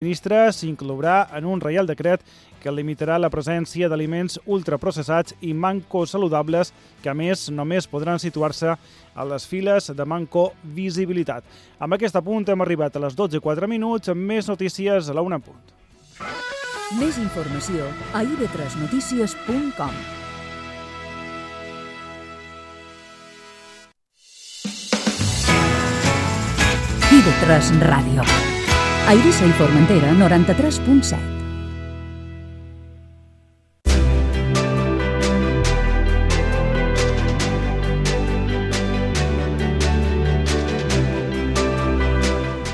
ministre s'inclourà en un reial decret que limitarà la presència d'aliments ultraprocessats i manco saludables que, a més, només podran situar-se a les files de manco visibilitat. Amb aquest apunt hem arribat a les 12:04, amb més notícies a la 1 en punt. Més informació a ib3notícies.com. IB3 Ràdio. A Eivissa i Formentera, 93.7.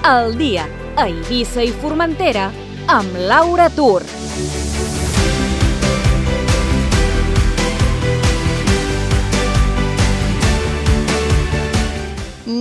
El dia a Eivissa i Formentera amb Laura Tur.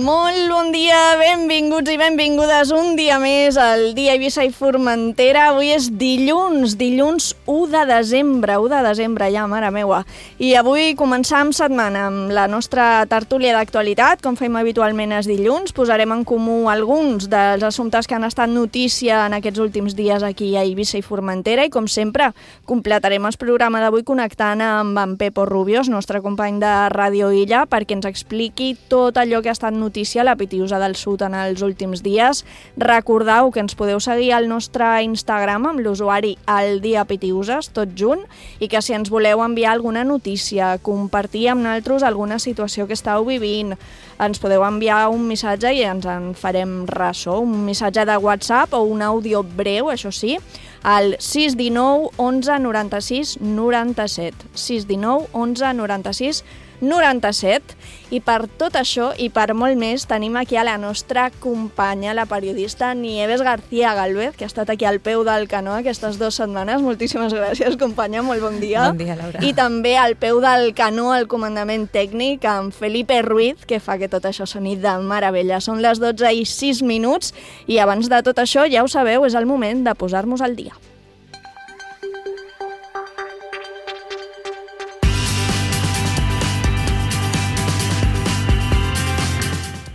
Molt bon dia, benvinguts i benvingudes un dia més al dia Eivissa i Formentera. Avui és dilluns 1 de desembre, ja, mare meua. I avui començam setmana amb la nostra tertúlia d'actualitat, com fem habitualment els dilluns. Posarem en comú alguns dels assumptes que han estat notícia en aquests últims dies aquí a Eivissa i Formentera i, com sempre, completarem el programa d'avui connectant amb en Pepo Rubios, nostre company de Ràdio Illa, perquè ens expliqui tot allò que ha estat notícia a la Pitiusa del Sud en els últims dies. Recordeu que ens podeu seguir al nostre Instagram amb l'usuari aldiapitiuses, tot junt, i que si ens voleu enviar alguna notícia, compartir amb nosaltres alguna situació que estàu vivint, ens podeu enviar un missatge i ens en farem ressò, un missatge de WhatsApp o un àudio breu, això sí, al 619 11 96 97. 619 11 96 97. I per tot això i per molt més tenim aquí a la nostra companya, la periodista Nieves García Gálvez, que ha estat aquí al peu del canó aquestes 2 setmanes. Moltíssimes gràcies, companya, molt bon dia. Bon dia, Laura. I també al peu del canó al comandament tècnic amb Felipe Ruiz, que fa que tot això soni de meravella. Són les 12:06 i abans de tot això, ja ho sabeu, és el moment de posar-nos al dia.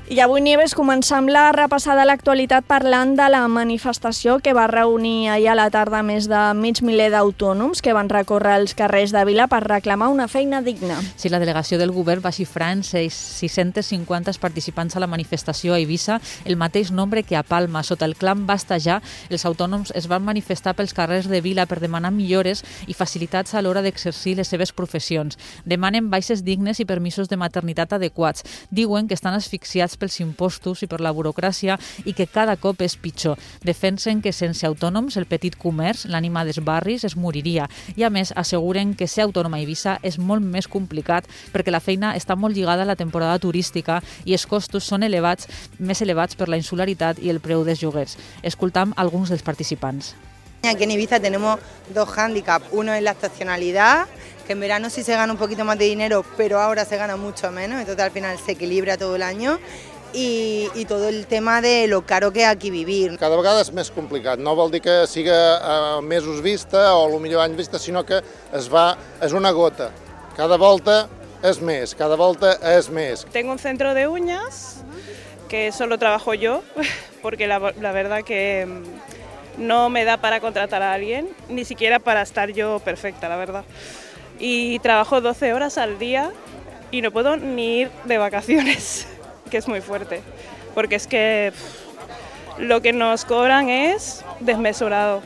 I avui, Nieves, començam la repassada a l'actualitat parlant de la manifestació que va reunir ahir a la tarda més de mig miler d'autònoms que van recórrer els carrers de Vila per reclamar una feina digna. Sí, la delegació del govern va xifrar en 650 participants a la manifestació a Eivissa, el mateix nombre que a Palma. Sota el clam Basta Ja, els autònoms es van manifestar pels carrers de Vila per demanar millores i facilitats a l'hora d'exercir les seves professions. Demanen baixes dignes i permisos de maternitat adequats. Diuen que estan asfixiats pels impostos i per la burocràcia i que cada cop és pitjor. Defensen que sense autònoms el petit comerç, l'ànima dels barris, es moriria. I a més asseguren que ser autònom a Eivissa és molt més complicat perquè la feina està molt lligada a la temporada turística i els costos són més elevats per la insularitat i el preu dels lloguers. Escoltam alguns dels participants. Aquí en Ibiza tenemos 2 hándicaps. Uno es la estacionalidad, que en verano sí se gana un poquito más de dinero, pero ahora se gana mucho menos, entonces al final se equilibra todo el año. I tot el tema de lo caro que hi ha aquí vivir. Cada vegada és més complicat, no vol dir que siga mesos vista o millor anys vista, sinó que és una gota. Cada volta és més, cada volta és més. Tengo un centro de uñas que solo trabajo yo, porque la verdad que no me da para contratar a alguien, ni siquiera para estar yo perfecta, la verdad. Y trabajo 12 horas al día y no puedo ni ir de vacaciones, que es muy fuerte, porque es que lo que nos cobran es desmesurado.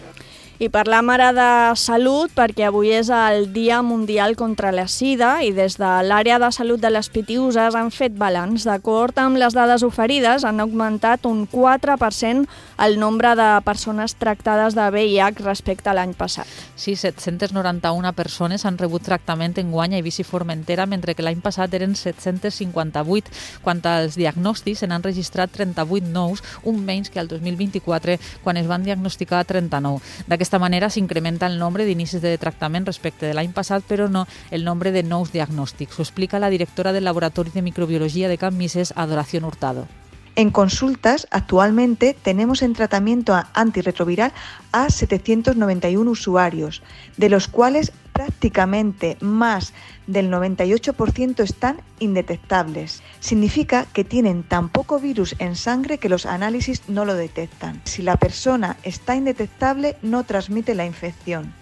I parlam ara de salut perquè avui és el Dia Mundial contra la Sida i des de l'àrea de salut de les Pitiuses han fet balanç. D'acord amb les dades oferides, han augmentat un 4% el nombre de persones tractades de VIH respecte a l'any passat. Sí, 791 persones han rebut tractament enguany a Eivissa i Formentera, mentre que l'any passat eren 758. Quant als diagnòstics, se n'han registrat 38 nous, un menys que el 2024, quan es van diagnosticar 39. D'aquesta manera s'incrementa el nombre d'inicis de tractament respecte de l'any passat, però no el nombre de nous diagnòstics. Ho explica la directora del Laboratorio de Microbiología de Can Misés, Adoración Hurtado. En consultas, actualmente tenemos en tratamiento antirretroviral a 791 usuarios, de los cuales prácticamente más del 98% están indetectables. Significa que tienen tan poco virus en sangre que los análisis no lo detectan. Si la persona está indetectable, no transmite la infección.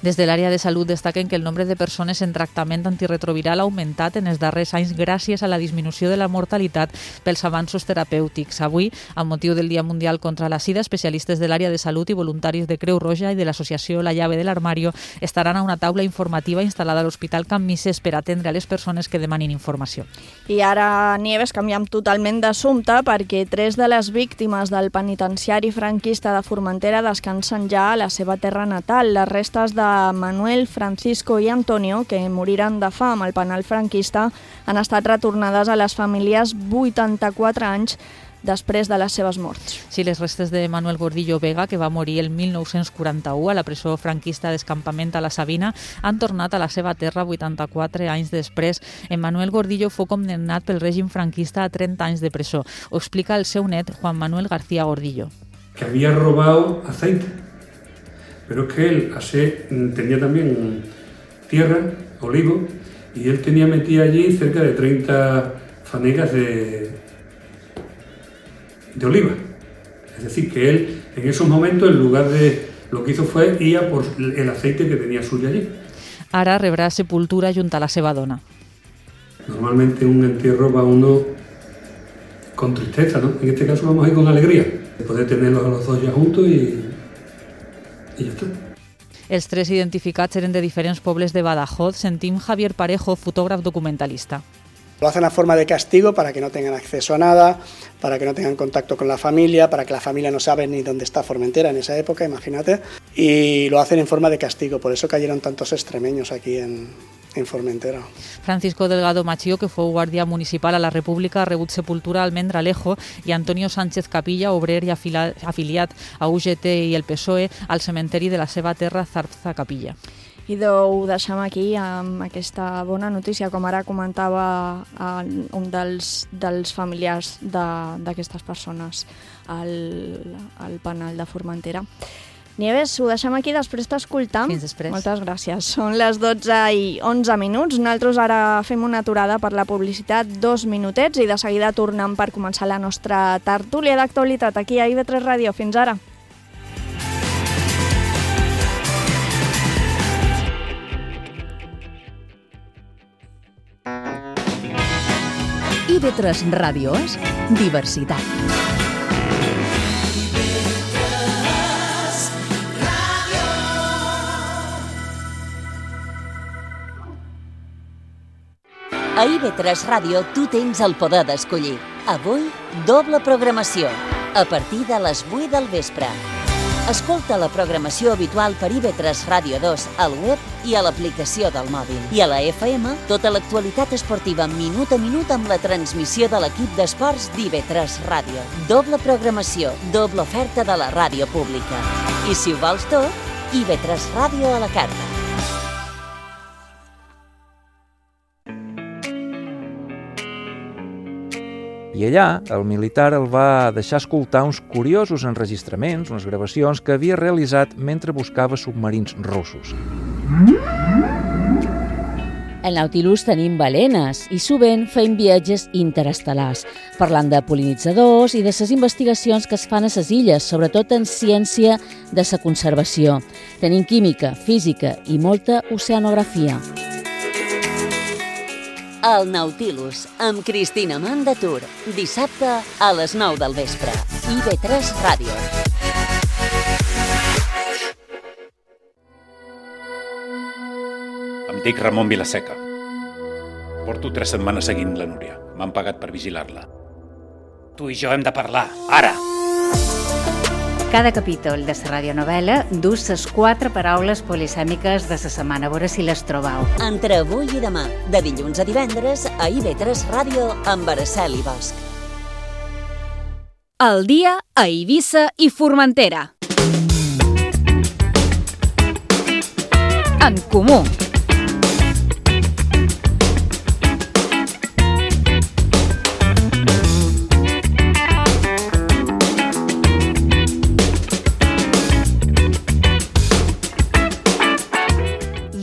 Des de l'àrea de salut destaquen que el nombre de persones en tractament antirretroviral ha augmentat en els darrers anys gràcies a la disminució de la mortalitat pels avanços terapèutics. Avui, amb motiu del Dia Mundial contra la Sida, especialistes de l'àrea de salut i voluntaris de Creu Roja i de l'associació La Llave del Armario estaran a una taula informativa instal·lada a l'Hospital Can Misses per atendre a les persones que demanin informació. I ara, Nieves, canviem totalment d'assumpte perquè 3 de les víctimes del penitenciari franquista de Formentera descansen ja a la seva terra natal. Les restes de Manuel, Francisco i Antonio, que moriren de fam al penal franquista, han estat retornades a les famílies 84 anys després de les seves morts. Sí, les restes de Manuel Gordillo Vega, que va morir el 1941 a la presó franquista d'Escampament a la Sabina, han tornat a la seva terra 84 anys després. En Manuel Gordillo fou condemnat pel règim franquista a 30 anys de presó. Ho explica el seu net, Juan Manuel García Gordillo. Que había robado aceite. Pero es que él tenía también tierra, olivo, y él tenía metida allí cerca de 30 fanegas de oliva. Es decir, que él en esos momentos, en lugar de lo que hizo fue ir a por el aceite que tenía suyo allí. Ara rebrà sepultura junt a la seva dona. Normalmente un entierro va uno con tristeza, ¿no? En este caso vamos a ir con alegría, de poder tenerlos a los dos ya juntos y ja està. Els 3 identificats eren de diferents pobles de Badajoz. Sentim Javier Parejo, fotògraf documentalista. Lo hacen a forma de castigo para que no tengan acceso a nada, para que no tengan contacto con la familia, para que la familia no sabe ni dónde está Formentera en esa época, imagínate, y lo hacen en forma de castigo, por eso cayeron tantos extremeños aquí en Formentera. Francisco Delgado Machío, que fou guàrdia municipal a la República, ha rebut sepultura al Mendralejo, i Antonio Sánchez Capilla, obrer i afiliat a UGT i el PSOE, al cementeri de la seva terra Zarza Capilla. I ho deixem aquí amb aquesta bona notícia, com ara comentava un dels familiars d'aquestes persones al penal de Formentera. Nieves, ho deixem aquí, després t'escoltam. Fins després. Moltes gràcies. Són les 12:11. Nosaltres ara fem una aturada per la publicitat, 2 minutets, i de seguida tornem per començar la nostra tertúlia d'actualitat aquí a IB3 Ràdio. Fins ara. IB3 Ràdio és diversitat. A IB3 Ràdio tu tens el poder d'escollir. Avui, doble programació, a partir de les 8 del vespre. Escolta la programació habitual per IB3 Ràdio 2 al web i a l'aplicació del mòbil. I a la FM, tota l'actualitat esportiva minut a minut amb la transmissió de l'equip d'esports d'IB3 Ràdio. Doble programació, doble oferta de la ràdio pública. I si ho vols tot, IB3 Ràdio a la carta. I allà, el militar el va deixar escoltar uns curiosos enregistraments, unes gravacions que havia realitzat mentre buscava submarins russos. Al Nautilus tenim balenes i sovint fem viatges interestel·lars, parlant de pol·linitzadors i de les investigacions que es fan a les illes, sobretot en ciència de la conservació. Tenim química, física i molta oceanografia. El Nautilus, amb Cristina Mandatur, dissabte a les 9 del vespre. IB3 Ràdio. Em dic Ramon Vilaseca. Porto 3 setmanes seguint la Núria. M'han pagat per vigilar-la. Tu i jo hem de parlar, ara! Cada capítol de la radionovel·la dus les 4 paraules polisèmiques de la setmana. A veure si les trobeu. Entre avui i demà, de dilluns a divendres, a IB3 Ràdio amb Araceli Bosch. El dia a Eivissa i Formentera. En comú.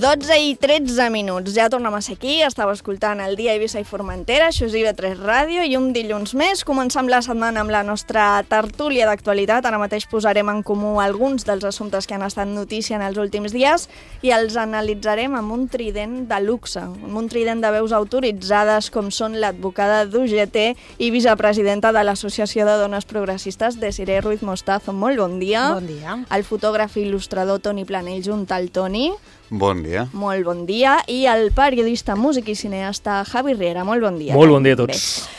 12:13. Ja tornem a ser aquí, estava escoltant el Dia Eivissa i Formentera, això és IB3 Ràdio, i un dilluns més començam la setmana amb la nostra tertúlia d'actualitat. Ara mateix posarem en comú alguns dels assumptes que han estat notícia en els últims dies i els analitzarem amb un trident de luxe, amb un trident de veus autoritzades com són l'advocada d'UGT i vicepresidenta de l'Associació de Dones Progressistes, Desiree Ruiz Mostazo. Molt bon dia. Bon dia. El fotògraf i il·lustrador Toni Planell, junt al Toni. Bon dia. Molt bon dia. I el periodista, músic i cineasta Javi Riera. Molt bon dia. Molt bon dia a tots. Bé.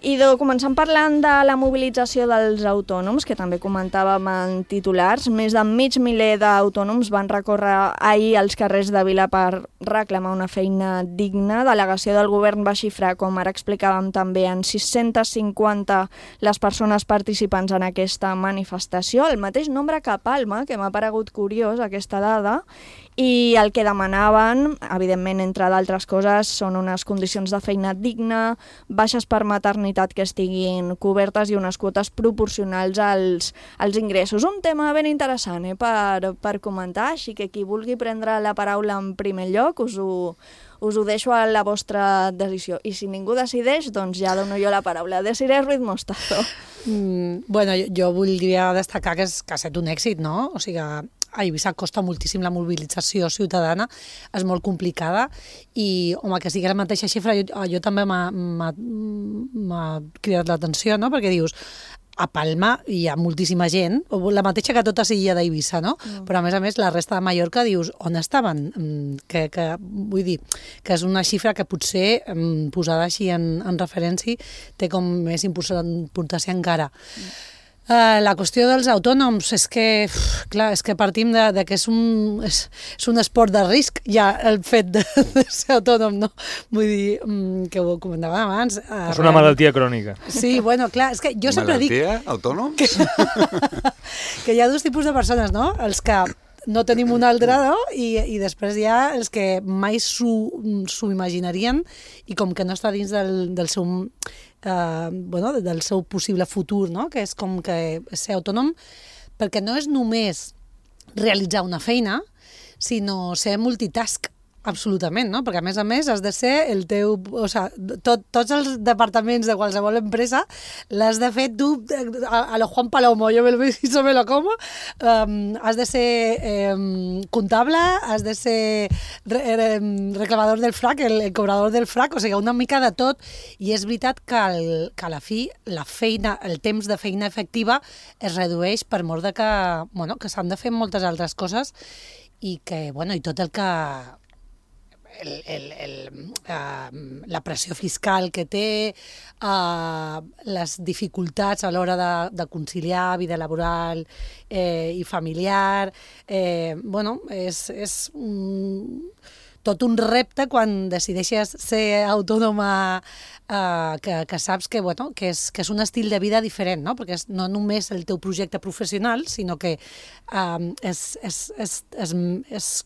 I començant parlant de la mobilització dels autònoms, que també comentàvem en titulars, més de mig miler d'autònoms van recórrer ahir als carrers de Vila per reclamar una feina digna. Delegació del govern va xifrar, com ara explicàvem també, en 650 les persones participants en aquesta manifestació, el mateix nombre que a Palma, que m'ha paregut curiós aquesta dada, i el que demanaven, evidentment, entre d'altres coses, són unes condicions de feina digna, baixes per maternitat que estiguin cobertes i unes quotes proporcionals als ingressos. Un tema ben interessant per comentar, així que qui vulgui prendre la paraula en primer lloc us ho deixo a la vostra decisió. I si ningú decideix, doncs ja dono jo la paraula. Desiree Ruiz Mostazo. Bueno, jo voldria destacar que ha estat un èxit, no? O sigui, a Eivissa costa moltíssim la mobilització ciutadana, és molt complicada i, home, que sigui la mateixa xifra, jo també m'ha cridat l'atenció, no? Perquè dius, a Palma hi ha moltíssima gent, la mateixa que tota l'illa d'Eivissa, no? Però a més, la resta de Mallorca dius, on estaven? Vull dir, que és una xifra que potser, posada així en referència, té com més importància encara. La qüestió dels autònoms és que, clar, és que partim de que és un esport de risc, ja el fet de ser autònom, no? Vull dir, que ho comentàvem abans. És una malaltia crònica. Sí, bueno, clar, és que jo sempre dic... Malaltia? Autònoms? Que hi ha dos tipus de persones, no? Els que no tenim una altra, no? I després hi ha els que mai s'ho imaginarien i com que no està dins del seu possible futur, no? Que és com que ser autònom, perquè no és només realitzar una feina, sinó ser multitask, absolutament, no? Perquè, a més, has de ser el teu... O sigui, tots els departaments de qualsevol empresa l'has de fer tu, a lo Juan Palomo, yo me lo hizo, me lo como. Has de ser comptable, has de ser reclamador del FRAC, el cobrador del FRAC, o sigui, una mica de tot. I és veritat que a la fi la feina, el temps de feina efectiva es redueix per mort de que s'han de fer moltes altres coses i que, i tot el que... la pressió fiscal que té, les dificultats a l'hora de conciliar vida laboral i familiar, és tot un repte quan decideixes ser autònoma, que saps que és un estil de vida diferent, no? Perquè és no només el teu projecte professional, sinó que es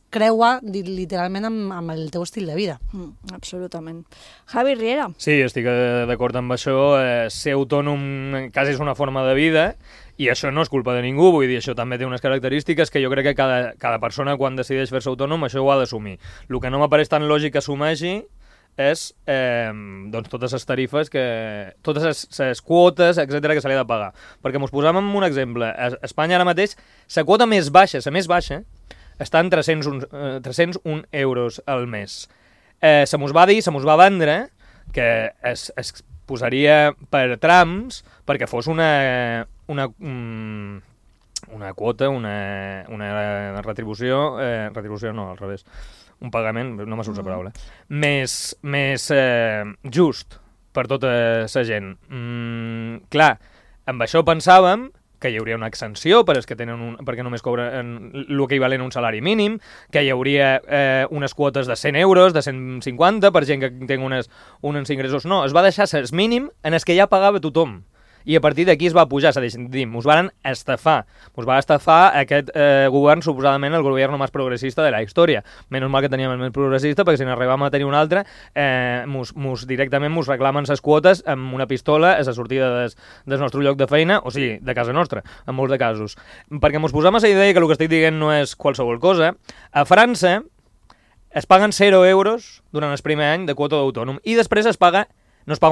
creua literalment amb el teu estil de vida. Absolutament. Javi Riera. Sí, estic d'acord amb això. Ser autònom quasi és una forma de vida i això no és culpa de ningú, vull dir, això també té unes característiques que jo crec que cada persona quan decideix fer-se autònom això ho ha d'assumir. El que no m'apareix tan lògic que assumeixi és totes les tarifes, totes les quotes, etcètera, que se li ha de pagar. Perquè mos posàvem un exemple. A Espanya ara mateix, la quota més baixa, està en 301 euros al mes. Se mos va dir, se mos va vendre que es posaria per trams perquè fos una quota, una retribució, retribució no, al revés, un pagament, no me surt la paraula, més just per tota la gent. Clar, amb això pensàvem que hi hauria una exenció per als que tenen perquè només cobren l'equivalent a un salari mínim, que hi hauria unes quotes de 100 euros, de 150, per gent que té uns ingressos. No, es va deixar el mínim en els que ja pagava tothom. I a partir d'aquí es va pujar, ens van estafar. Ens va estafar aquest govern, suposadament el govern més progressista de la història. Menys mal que teníem el més progressista, perquè si n'arribàvem a tenir un altre, directament ens reclamen les quotes amb una pistola a la sortida del nostre lloc de feina, o sigui, de casa nostra, en molts de casos. Perquè ens posem a la idea que el que estic dient no és qualsevol cosa. A França, es paguen 0 euros durant el primer any de quota d'autònom i després no es paga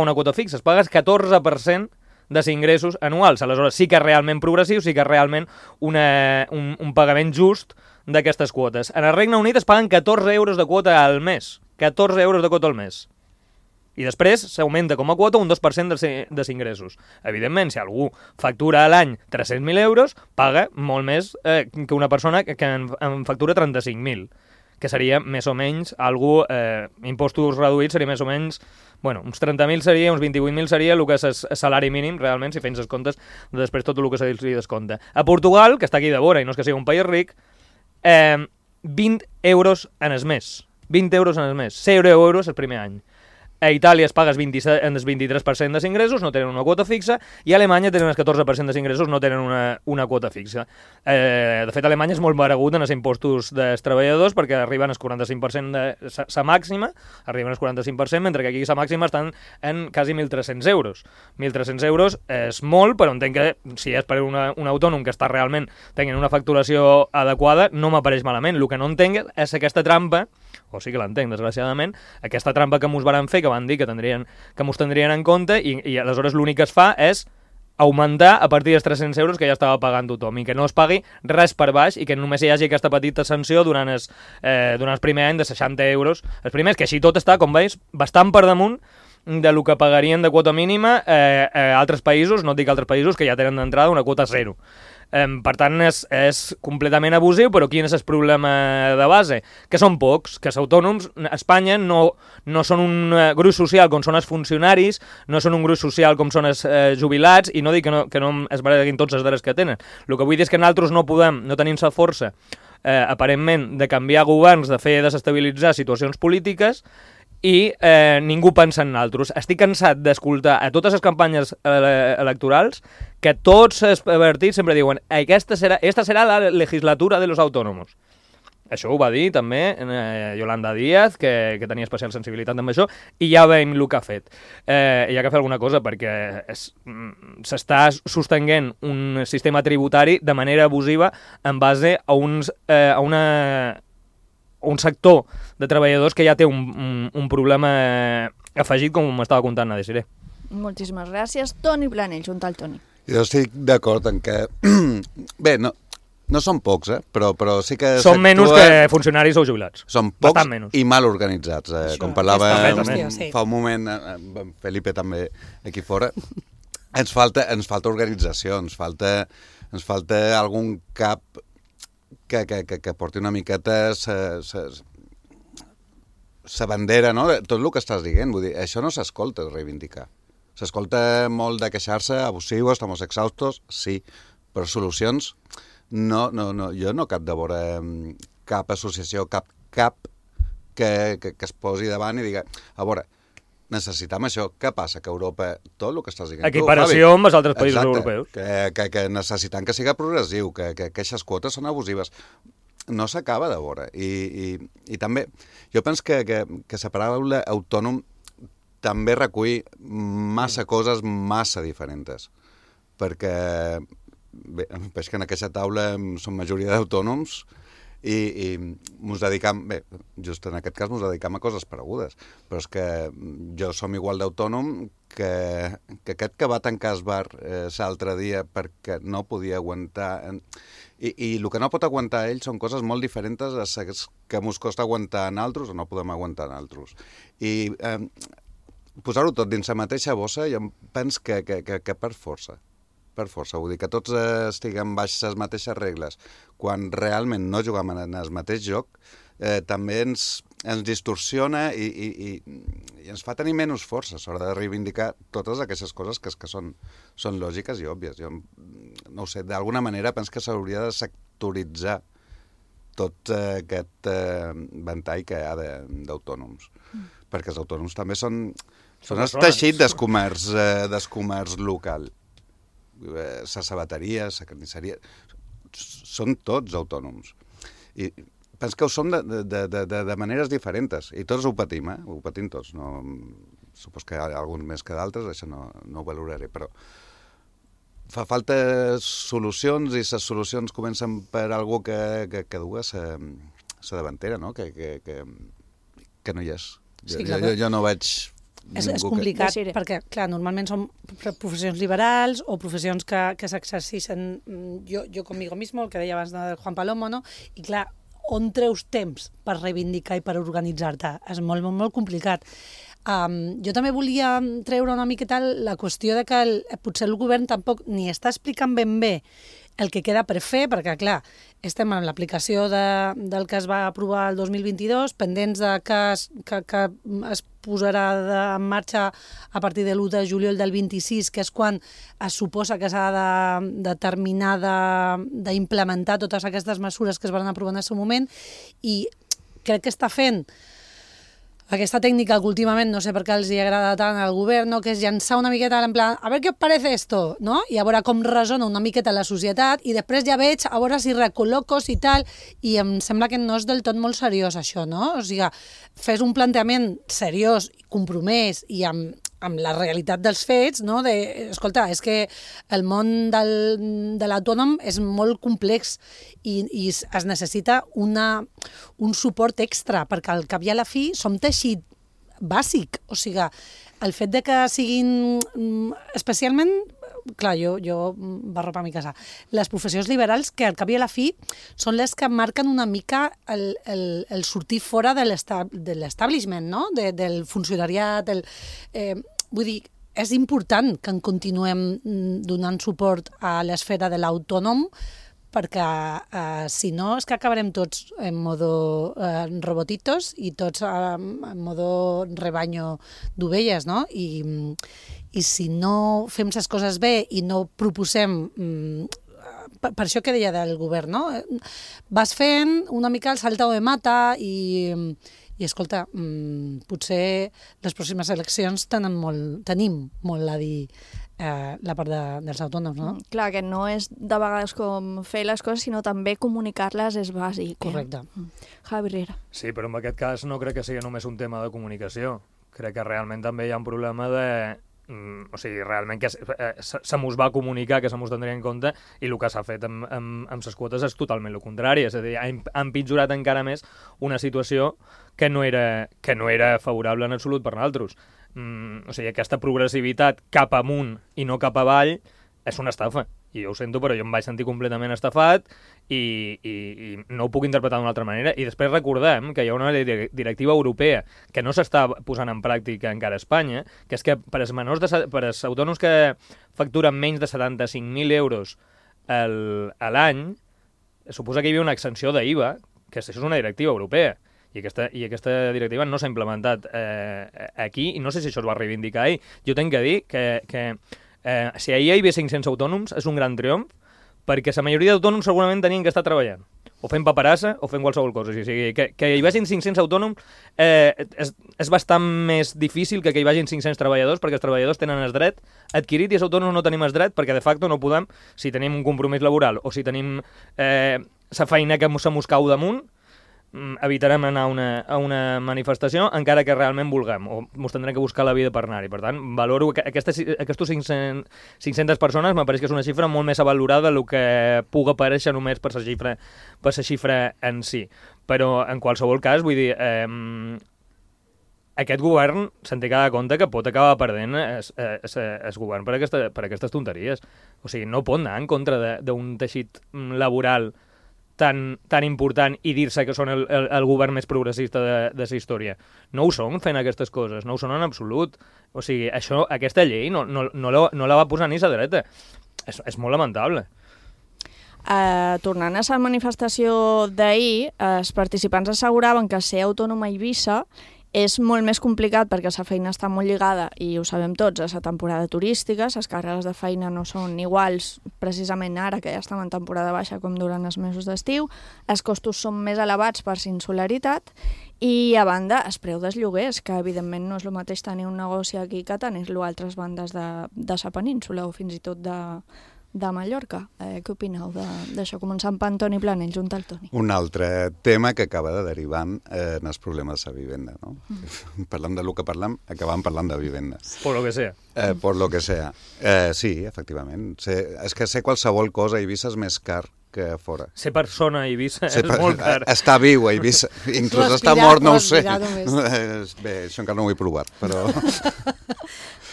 una quota fixa, es paga el 14% dels ingressos anuals. Aleshores sí que és realment progressiu, sí que és realment un pagament just d'aquestes quotes. En el Regne Unit es paguen 14 euros de quota al mes. 14 euros de quota al mes. I després s'augmenta com a quota un 2% dels ingressos. Evidentment, si algú factura a l'any 300.000 euros, paga molt més que una persona que en factura 35.000, que seria més o menys impostos reduïts seria més o menys, uns 30.000 seria, uns 28.000 seria el que és el salari mínim, realment, si fens els comptes, després tot el que se li descompta. A Portugal, que està aquí de vora i no és que sigui un país ric, 20 euros en el mes. 20 euros en el mes. 0 euros el primer any. A Itàlia es paga el 23% dels ingressos, no tenen una quota fixa, i a Alemanya tenen el 14% dels ingressos, no tenen una quota fixa. De fet, Alemanya és molt paregut en els impostos dels treballadors perquè arriben al 45% de sa màxima, arriben al 45%, mentre que aquí sa màxima estan en quasi 1.300 euros. 1.300 euros és molt, però entenc que si és per un autònom que està realment tenint una facturació adequada, no m'apareix malament. El que no entenc és aquesta trampa, o sí que l'entenc, desgraciadament, aquesta trampa que mos varen fer, que van dir que mos tindrien en compte, i aleshores l'únic que es fa és augmentar a partir dels 300 euros que ja estava pagant tothom, i que no es pagui res per baix, i que només hi hagi aquesta petita sanció durant el primer any de 60 euros. Els primers, que així tot està, com veus, bastant per damunt del que pagarien de quota mínima a altres països, no et dic altres països, que ja tenen d'entrada una quota zero. Per tant, és completament abusiu, però quin és el problema de base? Que són pocs, que els autònoms a Espanya no són un grup social com són els funcionaris, no són un grup social com són els jubilats, i no dic que no es barreguin tots els drets que tenen. El que vull dir és que nosaltres no tenim la força, aparentment, de canviar governs, de fer desestabilitzar situacions polítiques, i ningú pensa en nosaltres. Estic cansat d'escoltar a totes les campanyes electorals que tots els partits sempre diuen esta serà la legislatura de los autónomos. Això ho va dir també Yolanda Díaz, que tenia especial sensibilitat amb això, i ja veiem el que ha fet. Hi ha que fer alguna cosa perquè s'està sostenint un sistema tributari de manera abusiva en base a un sector de treballadors que ja té un problema afegit, com m'estava contant a Desiré. Moltíssimes gràcies. Toni Planell, junt al Toni. Jo estic d'acord en que... Bé, no són pocs, però sí que... Són menys que funcionaris o jubilats. Són pocs i mal organitzats. Com parlava fa un moment Felipe també aquí fora, ens falta organització, ens falta algun cap que porti una miqueta sa bandera, no? Tot el que estàs dient, vull dir, això no s'escolta reivindicar. S'escolta molt de queixar-se, abusius, estamos exhaustos, sí, però solucions, no, jo no cap de veure cap associació, cap que es posi davant i diga, a veure, necessitem això. Què passa? Que Europa, tot el que estàs dient equiparació amb els altres països europeus. Que necessitem que siga progressiu, que aquestes quotes són abusives. No s'acaba de veure. I també, jo penso que la paraula autònom també recull massa coses massa diferents. Perquè veig que en aquesta taula som majoria d'autònoms i ens dedicam, bé, just en aquest cas ens dedicam a coses paregudes, però és que jo som igual d'autònom que aquest que va tancar el bar l'altre dia perquè no podia aguantar, i el que no pot aguantar ell són coses molt diferents a les que ens costa aguantar en altres o no podem aguantar en altres. I posar-ho tot dins la mateixa bossa, jo penso que per força, vull dir que tots estiguem baix les mateixes regles, quan realment no juguem en el mateix joc, també ens distorsiona i ens fa tenir menys força a l'hora de reivindicar totes aquestes coses que són lògiques i òbvies. Jo no ho sé, d'alguna manera penso que s'hauria de sectoritzar tot aquest ventall que hi ha d'autònoms, perquè els autònoms també són el teixit del comerç local. La sabateria, la carnisseria, són tots autònoms. I penso que ho som de maneres diferents, i tots ho patim, ho patim tots. Supos que hi ha alguns més que d'altres, això no ho valoraré, però fa falta solucions, i les solucions comencen per algú que duga la davantera, no? Que no hi és. Sí, jo no veig... És complicat, perquè, clar, normalment són professions liberals o professions que s'exerceixen jo conmigo mismo, el que deia abans del Juan Palomo, no? I clar, on treus temps per reivindicar i per organitzar-te? És molt, molt, molt complicat. Jo també volia treure una miqueta la qüestió de que potser el govern tampoc ni està explicant ben bé el que queda per fer, perquè, clar, estem en l'aplicació del que es va aprovar el 2022, pendents de que es posarà en marxa a partir de l'1 de juliol del 26, que és quan es suposa que s'ha de terminar d'implementar totes aquestes mesures que es van aprovar en el seu moment, i crec que està fent aquesta tècnica que últimament no sé per què els hi agrada tant al govern, no? Que és llançar una miqueta en plan, a veure què us parece esto, no? I a veure com resona una miqueta la societat, i després ja veig a veure si recol·locos i tal, i em sembla que no és del tot molt seriós això, no? O sigui, fes un plantejament seriós, compromès i amb la realitat dels fets, no? Escolta, és que el món de l'autònom és molt complex i es necessita un suport extra, perquè al cap i a la fi som teixit bàsic. O sigui, el fet de que siguin especialment, clar, jo barropa a mi casa, les professions liberals que al cap i a la fi són les que marquen una mica el sortir fora de l'establishment, no? Del funcionariat, vull dir, és important que en continuem donant suport a l'esfera de l'autònom, perquè si no és que acabarem tots en modo robotitos i tots en modo rebaño d'ovelles, no? I si no fem les coses bé i no proposem, per això que deia del govern, no? Vas fent una mica el saltao de mata i escolta, potser les pròximes eleccions tenim molt a dir la part dels autònoms, no? Clar, que no és de vegades com fer les coses, sinó també comunicar-les és bàsic. Correcte. Javi Riera. Sí, però en aquest cas no crec que sigui només un tema de comunicació. Crec que realment també hi ha un problema de... O sigui, realment que se mos va comunicar, que se mos tindria en compte, i el que s'ha fet amb les quotes és totalment el contrari. És a dir, ha empitjorat encara més una situació que no era favorable en absolut per nosaltres. O sigui, aquesta progressivitat cap amunt i no cap avall és una estafa. I jo ho sento, però jo em vaig sentir completament estafat i no ho puc interpretar d'una altra manera. I després recordem que hi ha una directiva europea que no s'està posant en pràctica encara a Espanya, que és que per als autònoms que facturen menys de 75.000 euros a l'any, suposa que hi havia una exenció d'IVA, que això és una directiva europea. I aquesta directiva no s'ha implementat aquí, i no sé si això es va reivindicar ahir. Jo tinc que dir que si ahir hi havia 500 autònoms és un gran triomf, perquè la majoria d'autònoms segurament tenien que estar treballant, o fent paperassa o fent qualsevol cosa. O sigui, que hi vagin 500 autònoms és bastant més difícil que hi vagin 500 treballadors, perquè els treballadors tenen el dret adquirit i els autònoms no tenim el dret, perquè de facto no podem, si tenim un compromís laboral o si tenim la feina que se mos cau damunt, evitarem anar a una manifestació encara que realment vulguem, o ens tindrem que buscar la vida per anar-hi. Per tant, valoro que aquestes 500 persones m'apareix que és una xifra molt més avalorada del que puga aparèixer només per la xifra en si. Però, en qualsevol cas, vull dir, aquest govern se'n té que dar compte que pot acabar perdent el govern per aquestes tonteries. O sigui, no pot anar en contra d'un teixit laboral tan important i dir-se que són el govern més progressista de la història. No ho són fent aquestes coses, no ho són en absolut. O sigui, aquesta llei no la va posar ni la dreta. És molt lamentable. Tornant a la manifestació d'ahir, els participants asseguraven que ser autònom a Eivissa és molt més complicat perquè la feina està molt lligada, i ho sabem tots, a la temporada turística. Les càrregues de feina no són iguals precisament ara, que ja estem en temporada baixa, com durant els mesos d'estiu. Els costos són més elevats per la insularitat i, a banda, el preu dels lloguers, que evidentment no és el mateix tenir un negoci aquí que tenir-lo a altres bandes de la península o fins i tot de Mallorca. Què opineu d'això? Començant per Antoni Planell, junt al Toni. Un altre tema que acaba de derivant en els problemes de vivenda, no? Parlant del que parlam, acabam parlant de vivenda. Por lo que sea. Por lo que sea. Sí, efectivament. És que ser qualsevol cosa a Eivissa és més car que fora. Ser persona a Eivissa és molt car. Estar viu a Eivissa, inclús estar mort no ho sé. Bé, això encara no ho he provat, però...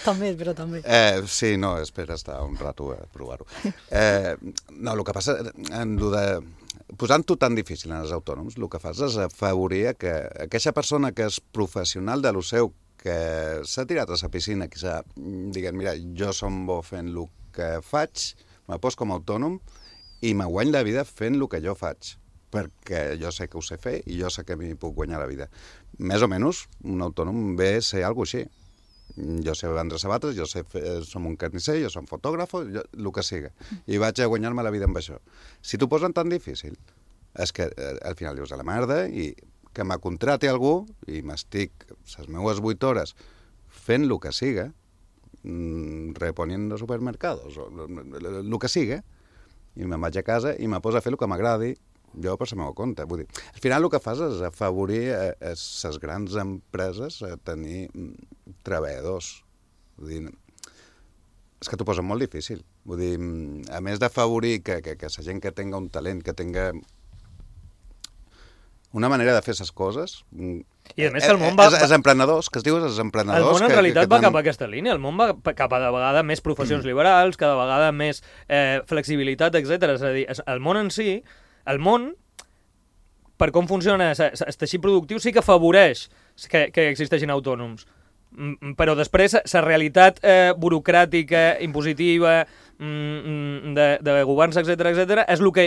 També. Sí, no, espera estar un rato a provar-ho. No, el que passa, posant-ho tan difícil en els autònoms, el que fas és afavorir que aquella persona que és professional de lo seu, que s'ha tirat a la piscina, que s'ha dit, mira, jo som bo fent el que faig, me poso com a autònom i me guany la vida fent el que jo faig, perquè jo sé que ho sé fer i jo sé que m'hi puc guanyar la vida. Més o menys, un autònom ve a ser alguna cosa així. Jo sé vendre sabates, jo sé som un carnisser, jo som fotògraf, el que siga. I vaig a guanyar-me la vida amb això. Si t'ho posen tan difícil, és que al final dius a la merda i que me contrati algú i m'estic les meues 8 hores fent el que siga, reponiendo supermercados, el que siga, i me'n vaig a casa i me poso a fer el que m'agradi, jo per la meva compte. Vull dir, al final el que fas és afavorir les grans empreses a tenir treballadors. Vull dir, és que t'ho posen molt difícil. Vull dir, a més d'afavorir que la gent que tenga un talent, que tenga una manera de fer les coses... I a més que el món va... Els emprenedors, que es diu els emprenedors... El món en realitat va cap a aquesta línia, el món va cap a de vegada més professions liberals, cada vegada més flexibilitat, etc. És a dir, el món en si, el món, per com funciona el teixit productiu, sí que afavoreix que existeixin autònoms. Però després la realitat burocràtica, impositiva, de governs, etc., és el que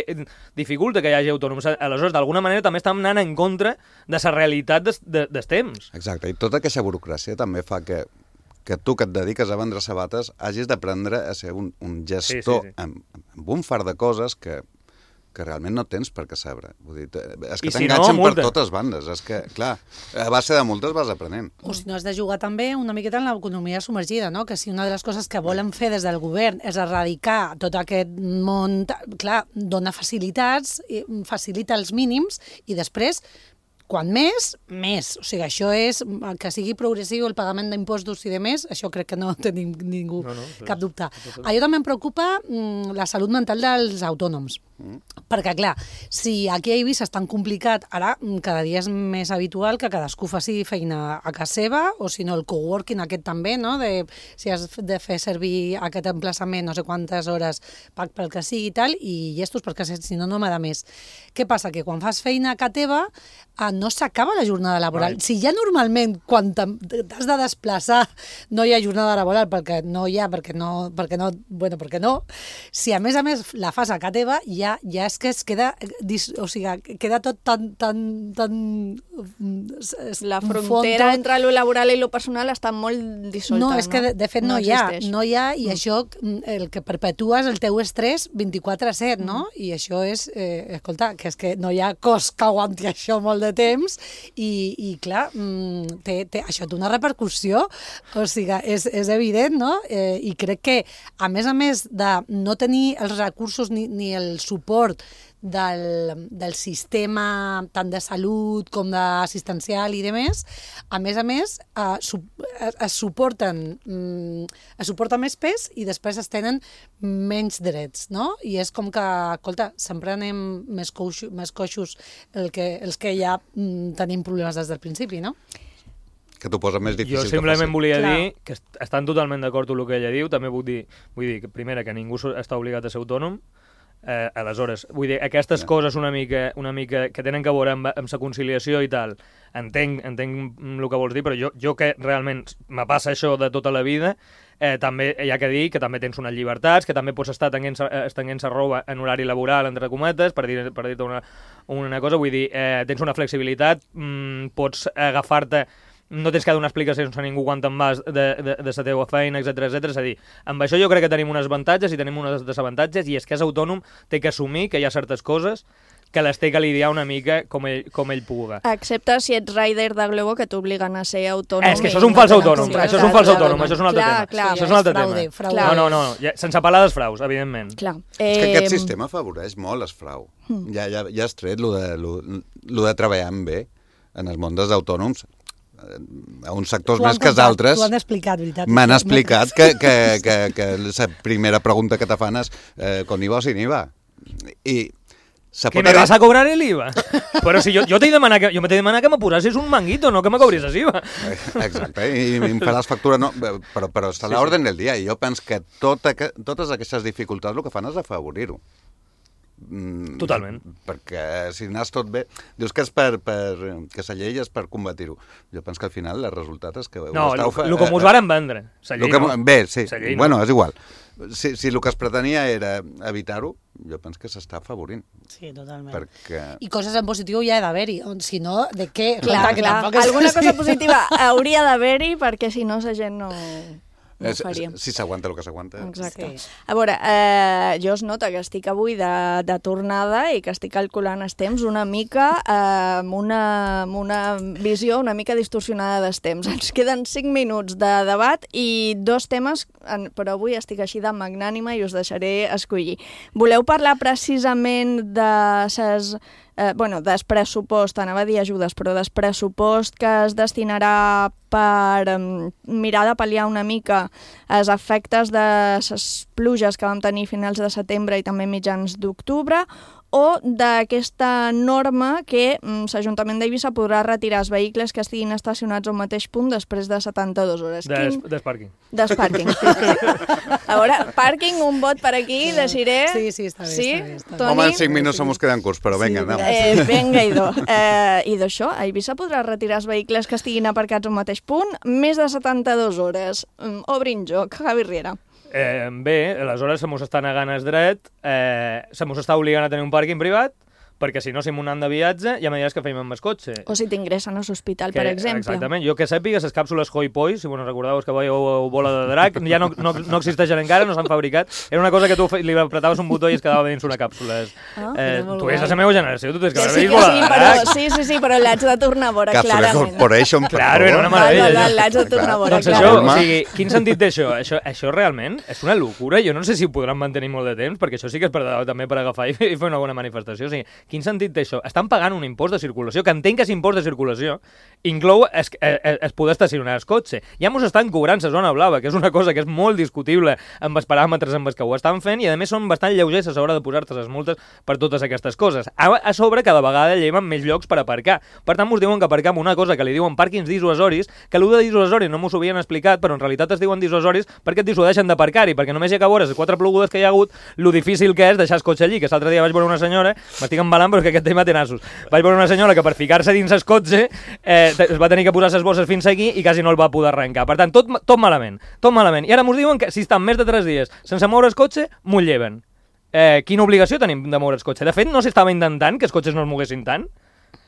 dificulta que hi hagi autònoms. Aleshores, d'alguna manera, també estem anant en contra de la realitat dels temps. Exacte, i tota aquesta burocràcia també fa que tu que et dediques a vendre sabates hagis d'aprendre a ser un gestor amb un far de coses que realment no tens per què saber. Vull dir, és que t'enganxen per totes bandes. És que, clar, a base de multes vas aprenent. O si no, has de jugar també una miqueta en l'economia submergida, no? Que si una de les coses que volen fer des del govern és erradicar tot aquest món, clar, dona facilitats, facilita els mínims i després... Quan més, més. O sigui, això és que sigui progressiu el pagament d'impostos i de més, això crec que no tenim ningú cap dubte. A jo també em preocupa la salut mental dels autònoms. Perquè, clar, si aquí a Eivissa és tan complicat, ara cada dia és més habitual que cadascú faci feina a casa seva, o si no el coworking aquest també, no? Si has de fer servir aquest emplaçament no sé quantes hores pel que sigui i tal, i llestos, perquè si no, no m'ha més. Què passa? Que quan fas feina a casa teva no s'acaba la jornada laboral. Si ja normalment, quan t'has de desplaçar, no hi ha jornada laboral perquè no, si a més la fas a casa teva, ja és que es queda, o sigui, queda tot tan... La frontera entre lo laboral i lo personal està molt dissolta. No, és que de fet no hi ha, i això el que perpetua és el teu estrès 24/7, no? I això és, escolta, que és que no hi ha cos que aguanti això molt de temps i clar, això té una repercussió, o sigui, és evident, no? I crec que, a més de no tenir els recursos ni el suport del sistema tant de salut com d'assistencial i de més, a més es suporta més pes i després es tenen menys drets, no? I és com que, escolta, sempre anem més coixos els que ja tenim problemes des del principi, no? Que t'ho posa més difícil. Jo simplement volia dir que estan totalment d'acord amb el que ella diu, també vull dir que primera, que ningú està obligat a ser autònom. Aleshores, vull dir, aquestes coses una mica que tenen que veure amb la conciliació i tal, entenc el que vols dir, però jo que realment me passa això de tota la vida, també hi ha que dir que també tens unes llibertats, que també pots estar estenguent-se roba en horari laboral, entre cometes, per dir-te una cosa, vull dir, tens una flexibilitat, pots agafar-te, no tens que donar explicacions a ningú quan te'n vas de la teva feina, etc. És a dir, amb això jo crec que tenim uns avantatges i tenim uns desavantatges, i és que és autònom, té que assumir que hi ha certes coses que les té que lidiar una mica com ell puga. Excepte si ets rider de Globo, que t'obliguen a ser autònom. És que això és un fals autònom, això és un altre tema. Això és un altre tema. No, sense parlar dels fraus, evidentment. És que aquest sistema afavoreix molt el frau. Ja has tret lo de treballar amb bé en el món dels autònoms, a uns sectors més que els altres. T'ho han explicat, veritat. M'han explicat que la primera pregunta que te fan és con IVA o sin IVA. I Que me vas a cobrar el IVA. Però si jo t'he demanat que me posessis un manguito, no que me cobressis IVA. Exacte, i em faràs factura, no, però està a l'ordre del dia, i jo penso que totes aquestes dificultats el que fan és afavorir-ho. Totalment. Perquè si anàs tot bé, dius que és que la llei és per combatir-ho. Jo penso que al final el resultat és que... No, el que mos varen vendre. Bé, sí, bueno, és igual. Si el que es pretenia era evitar-ho, jo penso que s'està afavorint. Sí, totalment. Perquè... I coses en positiu hi ha d'haver-hi, si no, de què? Clar. Alguna cosa positiva hauria d'haver-hi, perquè si no la gent no ho faria. Si s'aguanta el que s'aguanta. Exacte. A veure, jo es nota que estic avui de tornada i que estic calculant els temps una mica amb una visió una mica distorsionada dels temps. Ens queden 5 minuts de debat i 2 temes, però avui estic així de magnànima i us deixaré escollir. Voleu parlar precisament de ses... del pressupost, anava a dir ajudes, però del pressupost que es destinarà per mirar de pal·liar una mica els efectes de les pluges que vam tenir a finals de setembre i també mitjans d'octubre, o d'aquesta norma que l'Ajuntament d'Eivissa podrà retirar els vehicles que estiguin estacionats al mateix punt després de 72 hores. Despàrquing. Despàrquing. A veure, pàrquing, un vot per aquí, deixaré... Sí, està bé. Sí? Està bé. Home, en 5 minuts se mos queden curts, però vinga, anem. Vinga, idò. I d'això, a Eivissa podrà retirar els vehicles que estiguin aparcats al mateix punt més de 72 hores. Obrin joc, Javi Riera. Bé, aleshores se mos està negant el dret, se mos està obligant a tenir un pàrquing privat, perquè si no, si m'ho de viatge, ja me diràs que feim amb el cotxe. O si t'ingressen a l'hospital, per exemple. Exactament. Jo que sàpiga, les càpsules Hoi Poi, si vos recordeu que veieu bola de drac, ja no existeixen encara, no s'han fabricat. Era una cosa que tu li apretaves un botó i es quedava dins una càpsula. Tu és la meva generació, tu tens que haver vist bola de drac. Sí, però l'haig de tornar a veure, clarament. Càpsula Corporation, per favor. Claro, era una meravella. L'haig de tornar a veure, doncs això, o sigui, quin sentit d'això? Això realment és una locura. Jo no sé si ho podran mantenir molt de temps, perquè això sí que és també per agafar i fer una bona manifestació. O sigui, quin sentit d'això? Estan pagant un impost de circulació, que entenc que és impost de circulació, inclou es poder estacionar el cotxe. Ja mos estan cobrant la zona blava, que és una cosa que és molt discutible amb els paràmetres amb els que ho estan fent, i a més són bastant lleugers a l'hora de posar-te les multes per totes aquestes coses. A sobre, cada vegada lleven més llocs per aparcar. Per tant, mos diuen que aparcam una cosa que li diuen pàrquings dissuasoris, que l'u de dissuasori no mos ho havien explicat, però en realitat es diuen dissuasoris perquè et dissuadeixen d'aparcar-hi, perquè només hi ha que veure les 4 plogudes que hi ha hagut, lo difícil que és deixar el cotxe allí, que l'altre dia vaig veure una senyora, m'estic embalant però que aquest tema té nassos. Vaig veure una senyora que per ficar-se dins el cotxe es va tenir que posar les bosses fins aquí i quasi no el va poder arrencar. Per tant, tot malament, tot malament. I ara mos diuen que si estan més de 3 dies sense moure el cotxe, m'ho lleven. Quina obligació tenim de moure el cotxe? De fet, no s'estava intentant que els cotxes no es moguessin tant.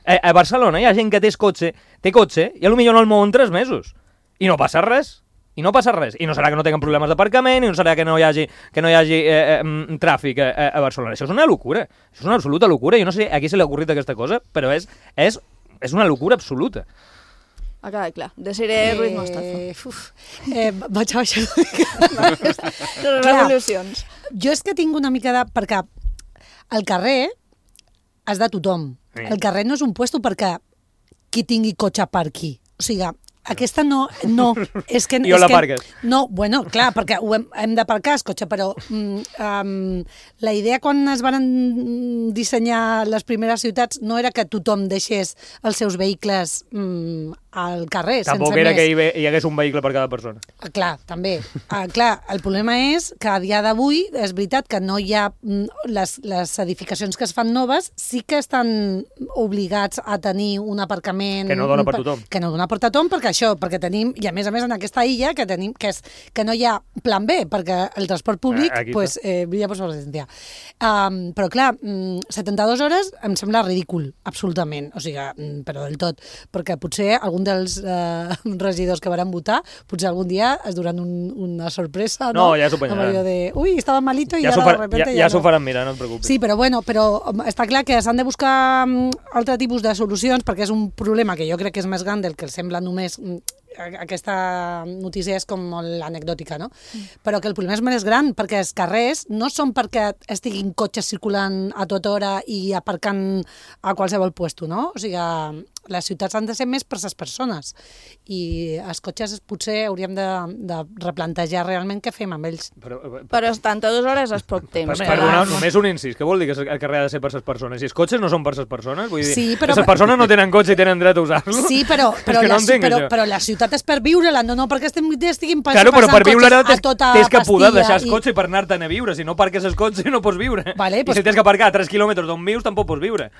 A Barcelona hi ha gent que té cotxe i potser no el mouen 3 mesos. I no passa res. I no passa res. I no serà que no tinguin problemes d'aparcament, i no serà que no hi hagi tràfic a Barcelona. Això és una locura. Això és una absoluta locura. Jo no sé a qui se li ha ocorrit aquesta cosa, però és una locura absoluta. Ha quedat clar. Desiree Ruiz Mostazo. Vaig a baixar una mica. Revolucions. Jo és que tinc una mica de... Perquè al carrer és de tothom. El carrer no és un puesto perquè qui tingui cotxe per aquí. O sigui, aquesta no és que... I on l'aparques? No, bueno, clar, perquè hem d'aparcar el cotxe, però la idea quan es van dissenyar les primeres ciutats no era que tothom deixés els seus vehicles al carrer, Tampoc sense era més. que hi hagués un vehicle per cada persona. Clar, també. Clar, el problema és que a dia d'avui és veritat que no hi ha... Les edificacions que es fan noves sí que estan obligats a tenir un aparcament... Que no dona per tothom. Que no dona per tothom, perquè tenim... I a més en aquesta illa que tenim que no hi ha plan B, perquè el transport públic brilla per sobre l'essència. Però clar, 72 hores em sembla ridícul, absolutament. O sigui, però del tot. Perquè potser algun dels regidors que van votar, potser algun dia es duran una sorpresa, no? Ja s'ho penyaran. Ui, estava malito i ara de repente ja s'ho faran mirar, no et preocupis. Sí, però està clar que s'han de buscar altre tipus de solucions, perquè és un problema que jo crec que és més gran del que sembla només aquesta notícia és com molt anecdòtica, no? Però que el problema és més gran, perquè els carrers no són perquè estiguin cotxes circulant a tota hora i aparcant a qualsevol puesto, no? O sigui, les ciutats han de ser més per les persones i els cotxes potser hauríem de replantejar realment què fem amb ells. Però estan 2 hores és poc temps. Perdona, només un incís. Què vol dir que el carrer ha de ser per les persones? Si els cotxes no són per les persones? Vull dir, sí, però... les persones no tenen cotxe i tenen dret a usar-lo? Sí, però la ciutat és per viure-la, no perquè estiguin passant claro, però per viure-la a tota tens que poder deixar el cotxe per anar-te'n a viure. Si no parques el cotxe no pots viure. Vale, I si tens que aparcar a 3 quilòmetres d'on vius tampoc pots viure.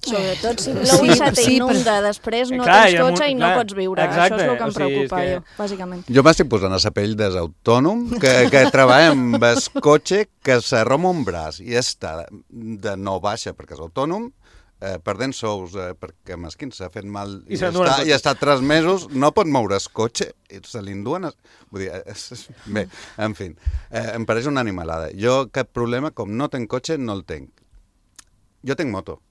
Sobretot si l'Oisa t'inunda després, no tens cotxe i no pots viure. Exacte. Això és el que em preocupa, jo, bàsicament. Jo m'estic posant a la pell dels autònoms que treballa amb el cotxe, que s'arroma un braç i està de no baixa perquè és autònom, perdent sous perquè mesquin s'ha fet mal i ha estat 3 mesos, no pot moure el cotxe i se l'induen. Vull dir, bé, en fi, em pareix una animalada. Jo cap problema, com no tenc cotxe, no el tenc. Jo tenc moto.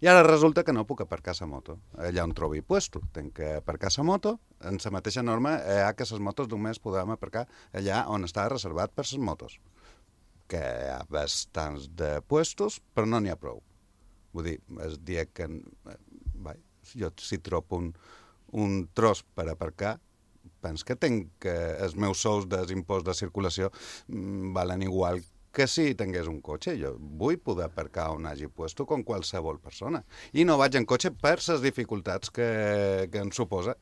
I ara resulta que no puc aparcar la moto allà on trobi puesto. Tenc que aparcar la moto, en la mateixa norma que les motos només podem aparcar allà on està reservat per les motos. Que hi ha bastants de puestos, però no n'hi ha prou. Vull dir, el dia que... jo si trobo un tros per aparcar, penso que tenc els meus sous d'impost de circulació valen igual que si tingués un cotxe. Jo vull poder aparcar on hagi puesto com qualsevol persona. I no vaig en cotxe per les dificultats que em suposa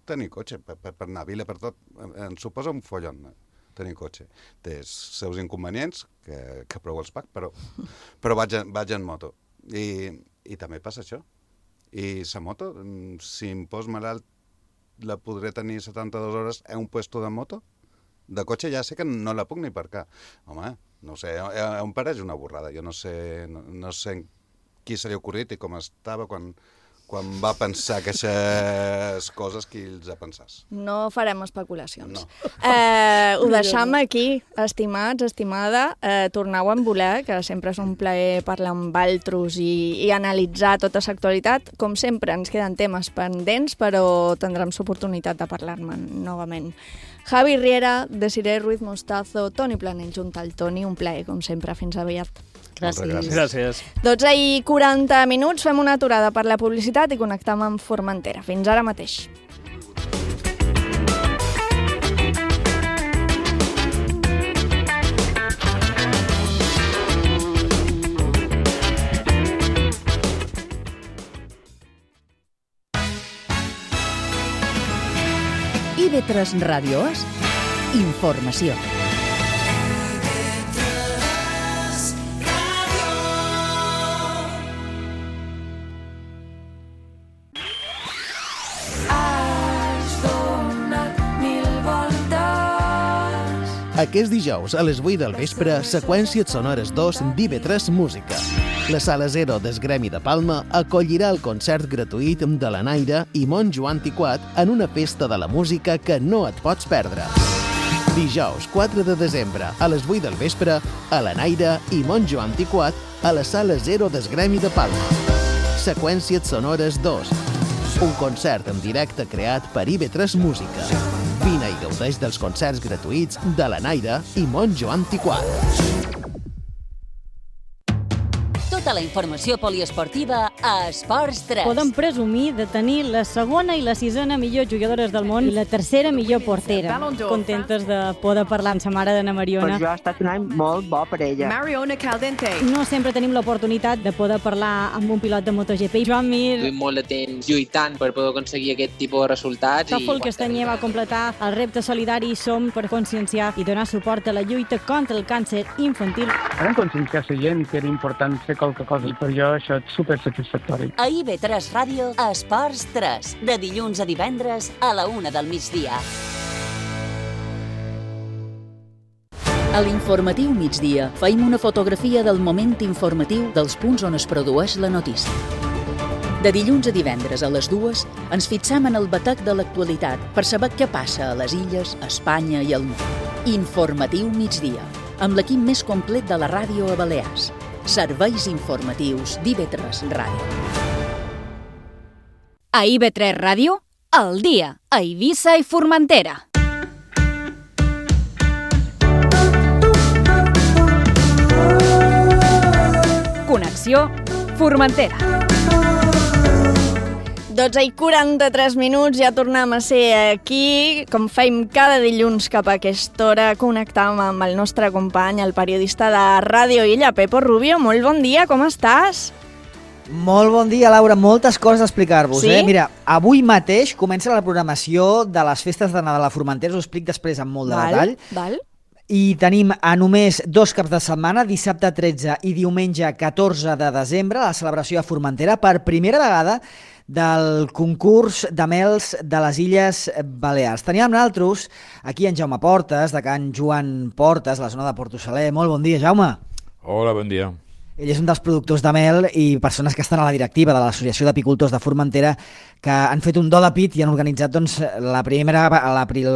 tenir cotxe. Per anar a vila, per tot, em suposa un follon tenir cotxe. Té els seus inconvenients, que prou els pac, però vaig en moto. I també passa això. I la moto, si em pos malalt, la podré tenir 72 hores a un puesto de moto? De cotxe ja sé que no la puc ni aparcar. Home, no sé, em pareix una borrada. Jo no sé qui se li ha ocorrit i com estava quan va pensar aquestes coses, qui els ha pensat. No farem especulacions. No. Ho deixam aquí, estimats, estimada. Torneu a voler, que sempre és un plaer parlar amb altres i analitzar tota l'actualitat. Com sempre, ens queden temes pendents, però tindrem l'oportunitat de parlar-ne novament. Javi Riera, Desiree Ruiz Mostazo, Toni Planell junt al Toni, un plaer, com sempre. Fins aviat. Gràcies. 12:40, fem una aturada per la publicitat i connectem amb Formentera. Fins ara mateix. IB3 Ràdios, informació. Aquest dijous, a les 8 del vespre, Seqüències Sonores 2 d'IB3 Música. La Sala 0 del Gremi de Palma acollirà el concert gratuït de la Naira i Monjo Antiquat en una festa de la música que no et pots perdre. Dijous, 4 de desembre, a les 8 del vespre, a la Naira i Monjo Antiquat a la Sala 0 del Gremi de Palma. Seqüències Sonores 2. Un concert en directe creat per IB3 Música. Vine i gaudeix dels concerts gratuïts de la Naira i Monjo Antiquat. Tota la informació poliesportiva a Esports 3. Podem presumir de tenir la segona i la sisena millor jugadores del món i la tercera millor portera. Contentes de poder parlar amb sa mare d'Anna Mariona. Per jo ha estat un any molt bo per ella. Mariona Caldente. No sempre tenim l'oportunitat de poder parlar amb un pilot de MotoGP. Joan Mir. Duim molt de temps lluitant per poder aconseguir aquest tipus de resultats. Tòfol Castanyer va completar el repte solidari Som per conscienciar i donar suport a la lluita contra el càncer infantil. Vam conscienciar la gent que era important fer qualque cosa i per jo això és supersatisfactori. A IB3 Ràdio, Esports 3, de dilluns a divendres a la 1 del migdia. A l'informatiu migdia feim una fotografia del moment informatiu dels punts on es produeix la notícia. De dilluns a divendres a les 2 ens fixam en el batec de l'actualitat per saber què passa a les illes, a Espanya i al món. Informatiu migdia, amb l'equip més complet de la ràdio a Balears. Serveis informatius d'IB3 Ràdio. A IB3 Ràdio, al dia a Eivissa i Formentera. Connexió Formentera. 12:43, ja tornem a ser aquí, com fem cada dilluns cap a aquesta hora, connectàvem amb el nostre company, el periodista de Ràdio Illa, Pepo Rubio. Molt bon dia, com estàs? Molt bon dia, Laura. Moltes coses a explicar-vos. Sí? Mira, avui mateix comença la programació de les festes de Nadal a Formentera, us ho explic després amb molt de detall. Val. I tenim a només 2 caps de setmana, dissabte 13 i diumenge 14 de desembre, la celebració a Formentera per primera vegada del concurs de mels de les Illes Balears. Teníem nosaltres aquí en Jaume Portes, de Can Joan Portes, la zona de Porto Saler. Molt bon dia, Jaume. Hola, bon dia. Ell és un dels productors de mel i persones que estan a la directiva de l'Associació d'Apicultors de Formentera, que han fet un do de pit i han organitzat doncs, el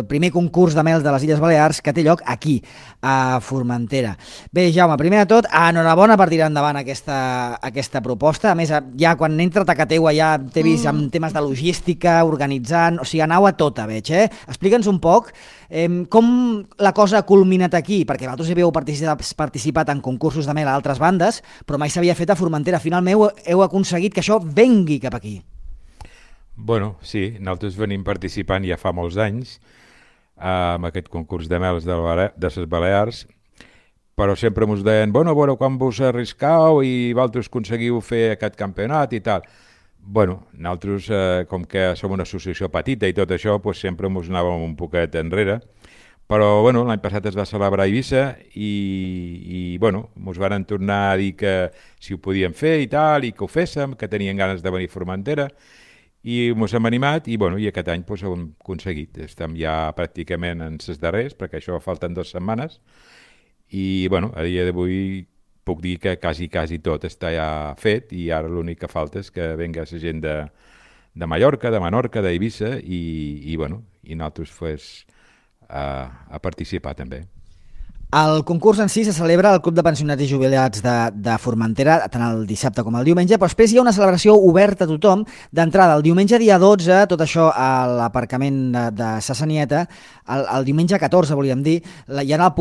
primer concurs de mel de les Illes Balears que té lloc aquí, a Formentera. Bé, Jaume, primer de tot, enhorabona per tirar endavant aquesta proposta. A més, ja quan entra a Tacateua ja t'he vist amb temes de logística, organitzant, o sigui, anau a tota, veig, Explica'ns un poc com la cosa ha culminat aquí, perquè vosaltres havíeu participat en concursos de mel a altres bandes, però mai s'havia fet a Formentera. Finalment heu aconseguit que això vengui cap aquí. Bueno, sí, nosaltres venim participant ja fa molts anys amb aquest concurs de mels de les Balears, però sempre ens deien, bueno, quan vos arriscau i vosaltres aconseguiu fer aquest campionat i tal. Bueno, nosaltres, com que som una associació petita i tot això, doncs sempre ens anàvem un poquet enrere, però bueno, l'any passat es va celebrar a Eivissa i bueno, ens van tornar a dir que si ho podíem fer i tal, i que ho féssim, que tenien ganes de venir a Formentera, i ens hem animat i, bueno, i aquest any doncs, ho hem aconseguit. Estem ja pràcticament en les darreres, perquè això falten 2 setmanes, i bueno, a dia d'avui puc dir que quasi tot està ja fet i ara l'únic que falta és que venga la gent de Mallorca, de Menorca, d'Eivissa i bueno, i nosaltres pues, a participar també. El concurs en si se celebra al Club de Pensionats i Jubilats de Formentera, tant el dissabte com el diumenge, però després hi ha una celebració oberta a tothom d'entrada. El diumenge dia 12, tot això a l'aparcament de Sassanieta, el diumenge 14, volíem dir, hi ha la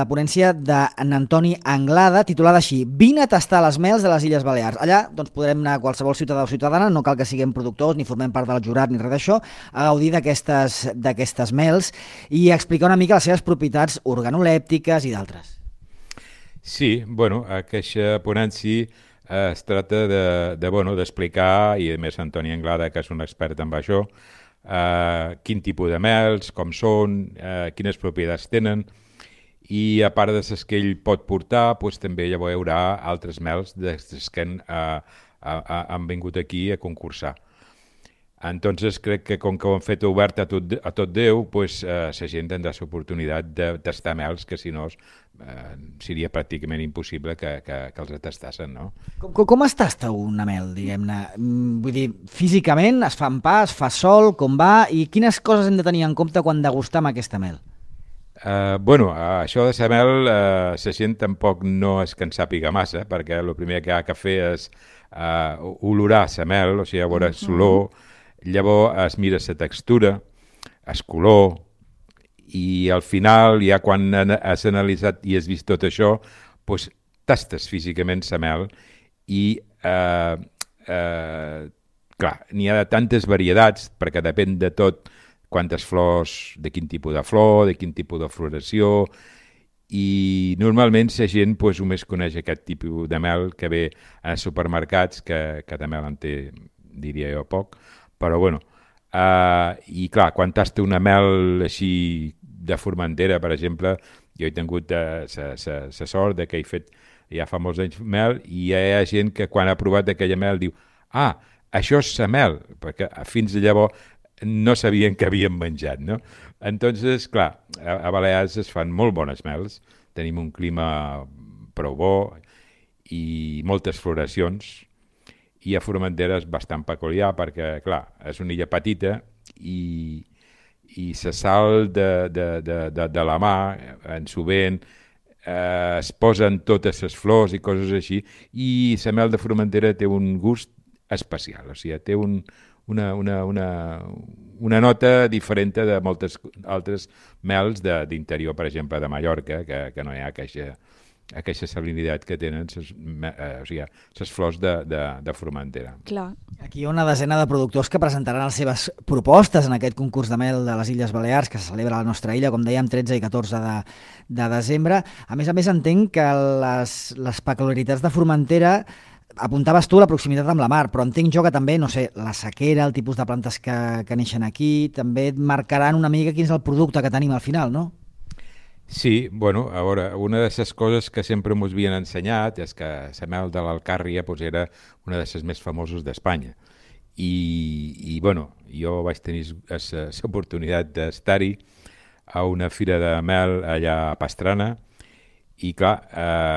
ponència d'en Antoni Anglada, titulada així: Vine a tastar les mels de les Illes Balears. Allà doncs, podrem anar qualsevol ciutadà o ciutadana, no cal que siguem productors ni formem part del jurat ni res d'això, a gaudir d'aquestes mels i explicar una mica les seves propietats organolèptiques i d'altres. Sí, bueno, aquesta ponència es tracta d'explicar, i a més Antoni Anglada, que és un expert en això, quin tipus de mels, com són, quines propietats tenen, i a part de les que ell pot portar, doncs, també hi haurà altres mels que han vingut aquí a concursar. Entonces crec que com que ho han fet obert a tot Déu, doncs, la gent tindrà l'oportunitat de tastar mels que si no seria pràcticament impossible que els tastassin, no? Com es tasta una mel, diguem-ne? Vull dir, físicament es fa en pa, es fa sol, com va, i quines coses hem de tenir en compte quan degustam aquesta mel? Això de la mel, la gent tampoc no és que en sàpiga massa, perquè el primer que ha de fer és olorar la mel, o sigui, a veure l'olor, llavors es mira la textura, el color, i al final, ja quan has analitzat i has vist tot això, doncs tastes físicament la mel i, clar, n'hi ha tantes varietats, perquè depèn de tot, quantes flors, de quin tipus de flor, de quin tipus de floració, i normalment la gent només coneix aquest tipus de mel que ve als supermercats, que de mel en té, diria jo, poc, però bueno, i clar, quan tasta una mel així de Formentera, per exemple, jo he tingut la sort que he fet ja fa molts anys mel, i hi ha gent que quan ha provat aquella mel diu, això és la mel, perquè fins llavors no sabien que havien menjat, no? Entonces, clar, a Balears es fan molt bones mels, tenim un clima prou bo i moltes floracions, i a Formentera és bastant peculiar perquè, clar, és una illa petita i la sal de la mà, en sovint, es posen totes les flors i coses així, i la mel de Formentera té un gust especial, o sigui, té un una nota diferent de moltes altres mels d'interior, per exemple, de Mallorca, que no hi ha aquesta salinitat que tenen les flors de Formentera. Clar. Aquí hi ha una desena de productors que presentaran les seves propostes en aquest concurs de mel de les Illes Balears que se celebra a la nostra illa, com dèiem, 13 i 14 de desembre. A més, entenc que les peculiaritats de Formentera, apuntaves tu la proximitat amb la mar, però entenc jo que també, no sé, la sequera, el tipus de plantes que neixen aquí, també et marcaran una mica quin és el producte que tenim al final, no? Sí, bueno, a veure, una de les coses que sempre ens havien ensenyat és que la mel de l'Alcàrria era una de les més famoses d'Espanya. I bueno, jo vaig tenir l'oportunitat d'estar-hi a una fira de mel allà a Pastrana i, clar,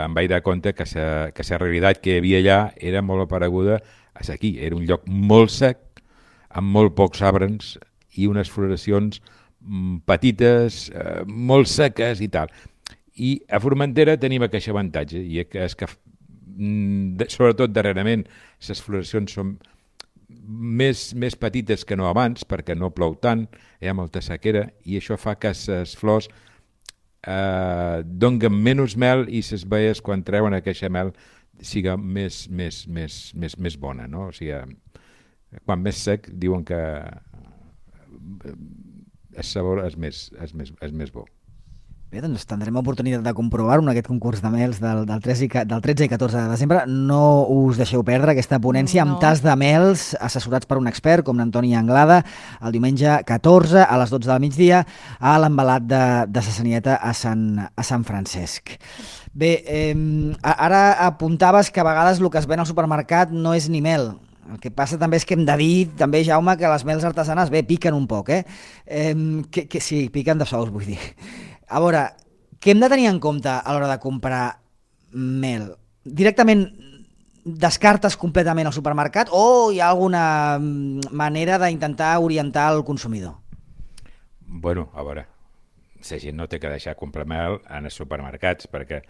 em vaig dar compte que la realitat que hi havia allà era molt apareguda a aquí. Era un lloc molt sec, amb molt pocs arbres i unes floracions petites, molt seques i tal. I a Formentera tenim aquest avantatge, i és que sobretot darrerament les floracions són més petites que no abans, perquè no plou tant, hi ha molta sequera, i això fa que les flors donen menys mel i les baies, quan treuen aquesta mel, siga més bona, no? O sigui, quan més sec, diuen que el sabor és més bo. Bé, doncs tindrem oportunitat de comprovar-ho en aquest concurs de mels del 13 i 14 de desembre. No us deixeu perdre aquesta ponència amb tas de mels assessorats per un expert com l'Antoni Anglada el diumenge 14 a les 12 del migdia a l'embalat de Sa Sanieta a Sant Francesc. Bé, ara apuntaves que a vegades el que es ven al supermercat no és ni mel. El que passa també és que hem de dir, també, Jaume, que les mels artesanes, piquen un poc, sí, piquen de sous, vull dir. A veure, què hem de tenir en compte a l'hora de comprar mel? Directament descartes completament al supermercat o hi ha alguna manera d'intentar orientar el consumidor? Bueno, a veure, la gent no té que deixar comprar mel en els supermercats, perquè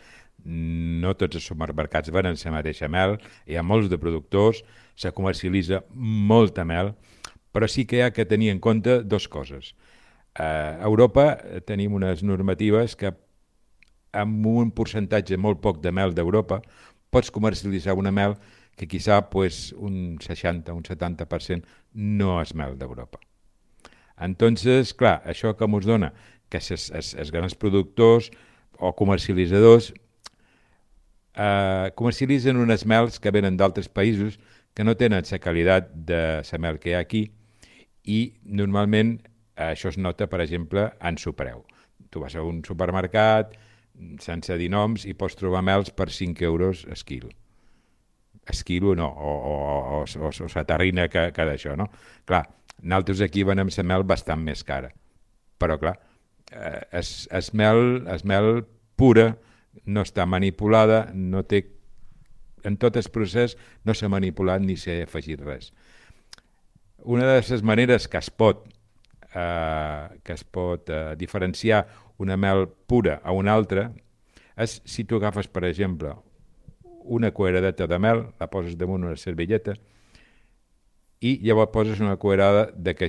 no tots els supermercats venen la mateixa mel, hi ha molts de productors, se comercialitza molta mel, però sí que hi ha que tenir en compte dues coses. A Europa tenim unes normatives que amb un percentatge molt poc de mel d'Europa pots comercialitzar una mel que quizà un 60, un 70% no és mel d'Europa. Entonces, clar, això que ens dona que els grans productors o comercialitzadors comercialitzen unes mels que venen d'altres països que no tenen la qualitat de la mel que hi ha aquí i normalment això es nota, per exemple, en el preu. Tu vas a un supermercat sense dir noms i pots trobar mels per 5 euros el quilo. El quilo no, o la terrina que d'això, no? Clar, nosaltres aquí venem la mel bastant més cara, però clar, es mel pura, no està manipulada, no té, en tot el procés no s'ha manipulat ni s'ha afegit res. Una de les maneres que es pot diferenciar una mel pura a una altra és si tu agafes, per exemple, una culleradeta de mel, la poses damunt una servilleta i llavors poses una cullerada de